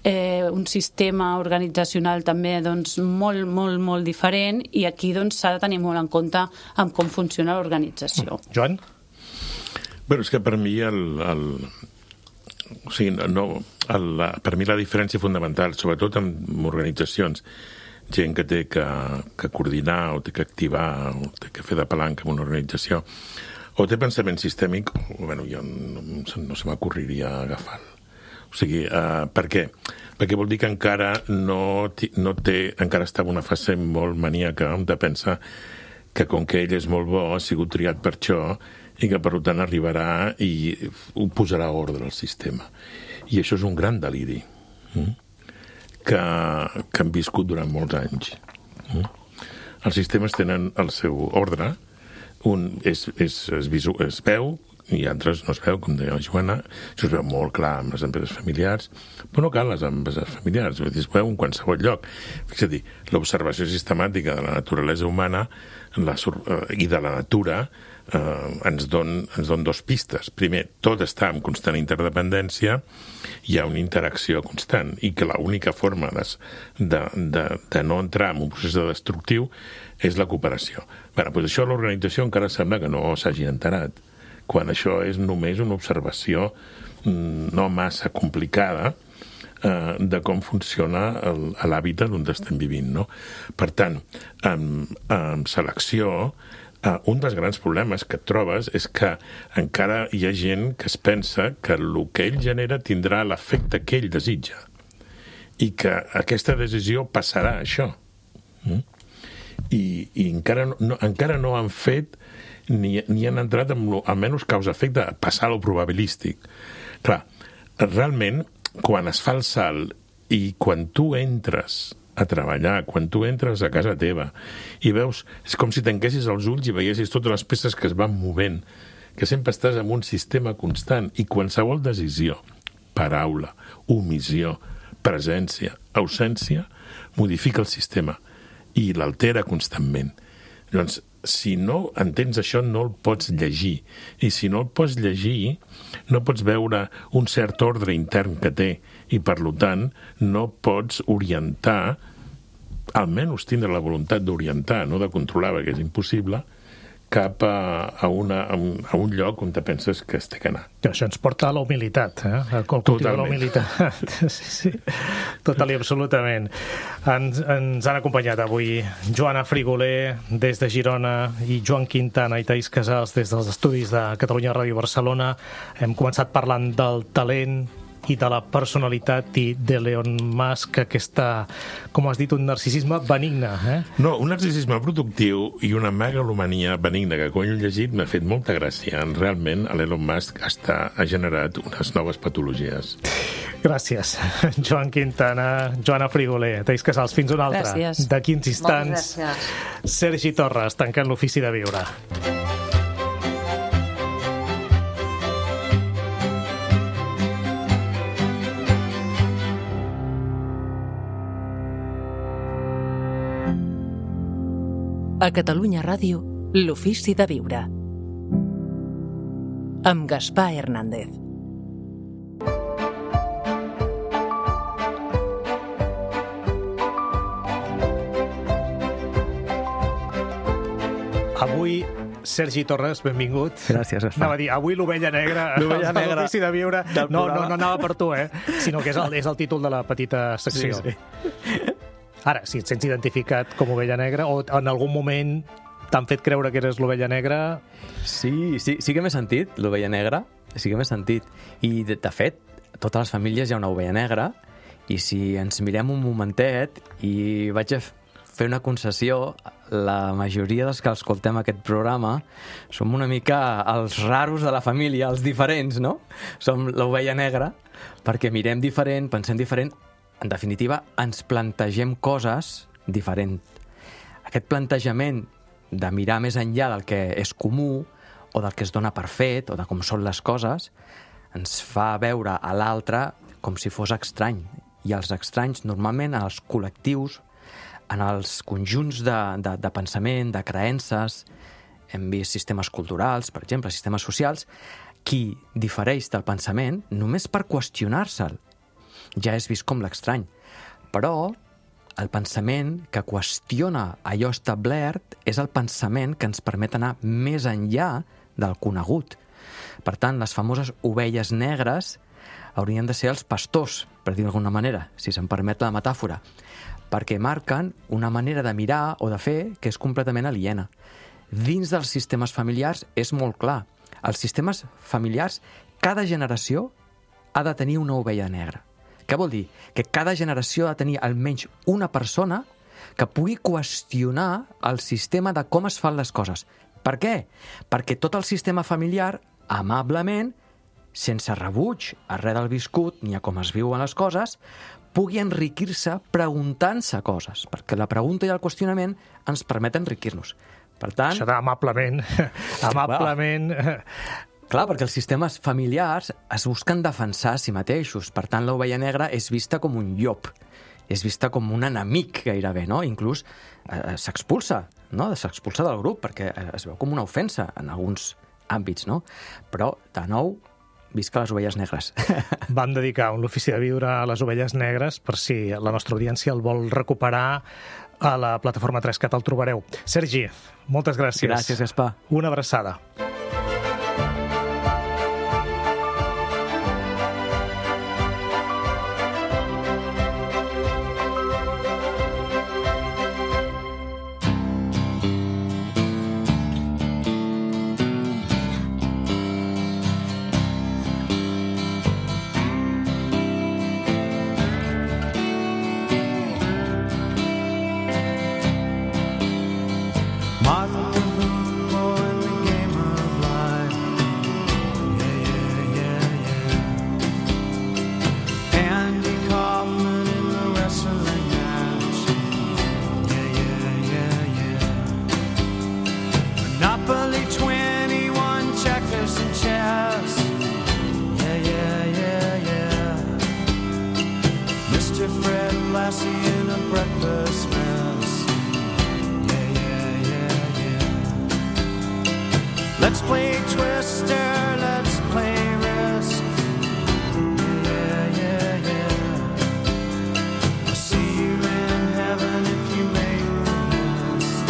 eh, un sistema organitzacional també, doncs, molt, molt, molt diferent, i aquí, doncs, s'ha de tenir molt en compte amb com funciona l'organització. Joan? Bueno, és que per mi el... el... O sigui, no, el, la, per mi la diferència fonamental, sobretot en organitzacions, gent que té que, que coordinar o té que activar o té que fer de palanca en una organització o té pensament sistèmic, bueno, jo no, no se m'ocorriria agafar-lo. O sigui, uh, per què? Perquè vol dir que encara no, no té, encara està en una fase molt maníaca de pensar que com que ell és molt bo, ha sigut triat per això i que per tant arribarà i ho posarà a ordre al sistema. I això és un gran deliri. Mm? Que, que han viscut durant molts anys. Mm? Els sistemes tenen el seu ordre, un és, és, es, visu, es veu i altres no es veu, com deia la Joana. Això es veu molt clar amb les empreses familiars, però no cal les empreses familiars, es veu en qualsevol lloc. És a dir, l'observació sistemàtica de la naturalesa humana la, i de la natura eh, ens don, ens don dos pistes. Primer, tot està en constant interdependència, hi ha una interacció constant i que l'única forma de, de, de, de no entrar en un procés de destructiu és la cooperació. Bé, doncs això l'organització encara sembla que no s'hagi enterat, quan això és només una observació no massa complicada eh, de com funciona l'hàbitat on estem vivint, no? Per tant, amb, amb selecció, eh, un dels grans problemes que et trobes és que encara hi ha gent que es pensa que el que ell genera tindrà l'efecte que ell desitja i que aquesta decisió passarà a això. Mm? I, i encara, no, encara no han fet ni, ni han entrat amb lo, almenys causa-efecte a passar a lo probabilístic. Clar, realment, quan es fa el salt i quan tu entres a treballar, quan tu entres a casa teva i veus, és com si tanquessis els ulls i veiessis totes les peces que es van movent, que sempre estàs en un sistema constant i qualsevol decisió, paraula, omissió, presència, ausència, modifica el sistema i l'altera constantment. Llavors, si no entens això, no el pots llegir. I si no el pots llegir, no pots veure un cert ordre intern que té i, per tant, no pots orientar, almenys tindre la voluntat d'orientar, no de controlar, perquè és impossible, cap a, a, una, a, un, a un lloc on te penses que es té que anar. Això ens porta a la humilitat, eh? El cultiu de la humilitat. Sí, sí, total i absolutament. Ens, ens han acompanyat avui Joana Frigoler des de Girona i Joan Quintana i Taís Casals des dels estudis de Catalunya Ràdio Barcelona. Hem començat parlant del talent i de la personalitat i d'Elon Musk, aquesta, com has dit, un narcisisme benigne. Eh? No, un narcisisme productiu i una megalomania benigna, que quan he llegit m'ha fet molta gràcia. Realment, l'Elon Musk està, ha generat unes noves patologies. Gràcies, Joan Quintana, Joana Frigoler, Taís Casals. Fins una altra. Gràcies. D'aquí uns instants, Sergi Torres, tancant l'Ofici de Viure. A Catalunya Ràdio, l'Ofici de Viure. Amb Gaspar Hernández. Avui, Sergi Torres, benvingut. Gràcies, Gaspar. Anava a dir, avui l'ovella negra, l'ovella negra l'Ofici de Viure. No, no, no anava per tu, eh? Sinó que és el, és el títol de la petita secció. Sí, sí. Ara, si et sents identificat com ovella negra, o en algun moment t'han fet creure que eres l'ovella negra... Sí, sí, sí que m'he sentit l'ovella negra, sí que m'he sentit. I, de, de fet, a totes les famílies hi ha una ovella negra, i si ens mirem un momentet, i vaig a fer una concessió, la majoria dels que escoltem aquest programa som una mica els raros de la família, els diferents, no? Som l'ovella negra, perquè mirem diferent, pensem diferent. En definitiva, ens plantegem coses diferent. Aquest plantejament de mirar més enllà del que és comú o del que es dona per fet o de com són les coses ens fa veure a l'altre com si fos estrany. I els estranys, normalment, en els col·lectius, en els conjunts de, de, de pensament, de creences, hem vist sistemes culturals, per exemple, sistemes socials, qui difereix del pensament només per qüestionar-se'l ja és vist com l'estrany. Però el pensament que qüestiona allò establert és el pensament que ens permet anar més enllà del conegut. Per tant, les famoses ovelles negres haurien de ser els pastors, per dir d'alguna manera, si se'm permet la metàfora, perquè marquen una manera de mirar o de fer que és completament aliena. Dins dels sistemes familiars és molt clar. Els sistemes familiars, cada generació ha de tenir una ovella negra. Què vol dir? Que cada generació ha de tenir almenys una persona que pugui qüestionar el sistema de com es fan les coses. Per què? Perquè tot el sistema familiar, amablement, sense rebuig a res del viscut ni a com es viuen les coses, pugui enriquir-se preguntant-se coses, perquè la pregunta i el qüestionament ens permet enriquir-nos. Per tant... Això d'amablement... amablement... Clar, perquè els sistemes familiars es busquen defensar a si mateixos. Per tant, l'ovella negra és vista com un llop. És vista com un enemic, gairebé, no? Inclús eh, s'expulsa, no? S'expulsa del grup, perquè es veu com una ofensa en alguns àmbits, no? Però, de nou, visca les ovelles negres. Vam dedicar un l'Ofici de Viure a les ovelles negres, per si la nostra audiència el vol recuperar a la plataforma tres cat, el trobareu. Sergi, moltes gràcies. Gràcies, Gaspar. Una abraçada. Marcy in a breakfast mess. Yeah, yeah, yeah, yeah. Let's play Twister, let's play Risk. Yeah, yeah, yeah. I'll see you in heaven if you make the list.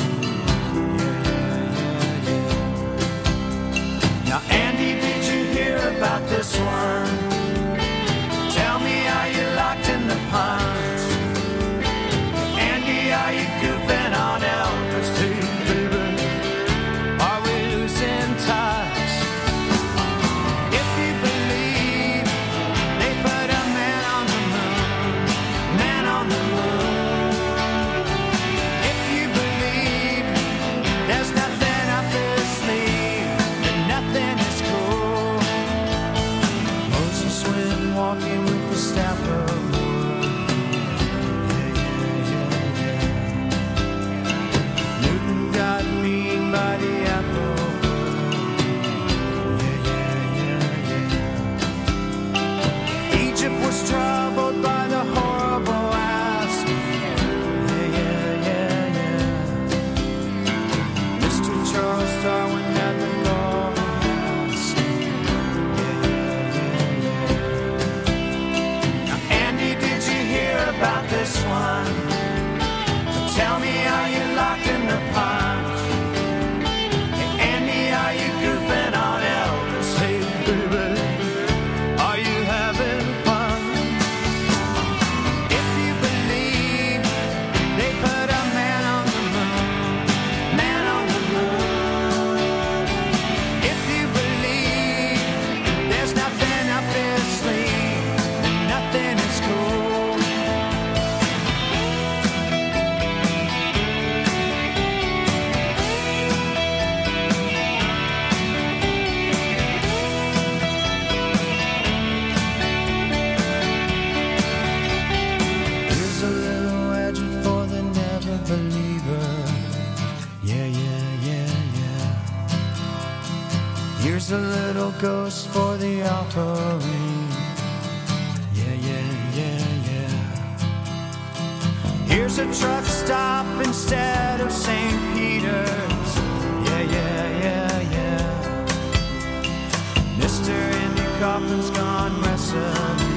Yeah, yeah, yeah, yeah. Now, Andy, did you hear about this one? Tell me, are you locked in the punch? Andy, are you goofing on Elvis too, baby? Are we losing touch? If you believe they put a man on the moon, man on the moon. If you believe there's nothing up his sleeve, then nothing is cool. Moses went walking with the staff of wood. Yeah, yeah, yeah, yeah. Newton got mean by the apple. Yeah, yeah, yeah, yeah. Egypt was troubled by the horrible asp. Yeah, yeah, yeah, yeah. Mister Charles Darwin had the golden mask. Yeah, yeah, yeah, yeah. Now, Andy, did you hear about this one? Tell me, are you locked in the punch? Hey, Andy, are you goofing on Elvis? Hey, baby, are you having fun? If you believe they put a man on the moon, man on the moon. If you believe there's nothing up his sleeve, then nothing is cool. Here's a little legend for the never believer. Yeah, yeah, yeah, yeah. Here's a little ghost for the offering. Yeah, yeah, yeah, yeah. Here's a truck stop instead of Saint Peter's. Yeah, yeah, yeah, yeah. Mister Andy Kaufman's gone wrestling.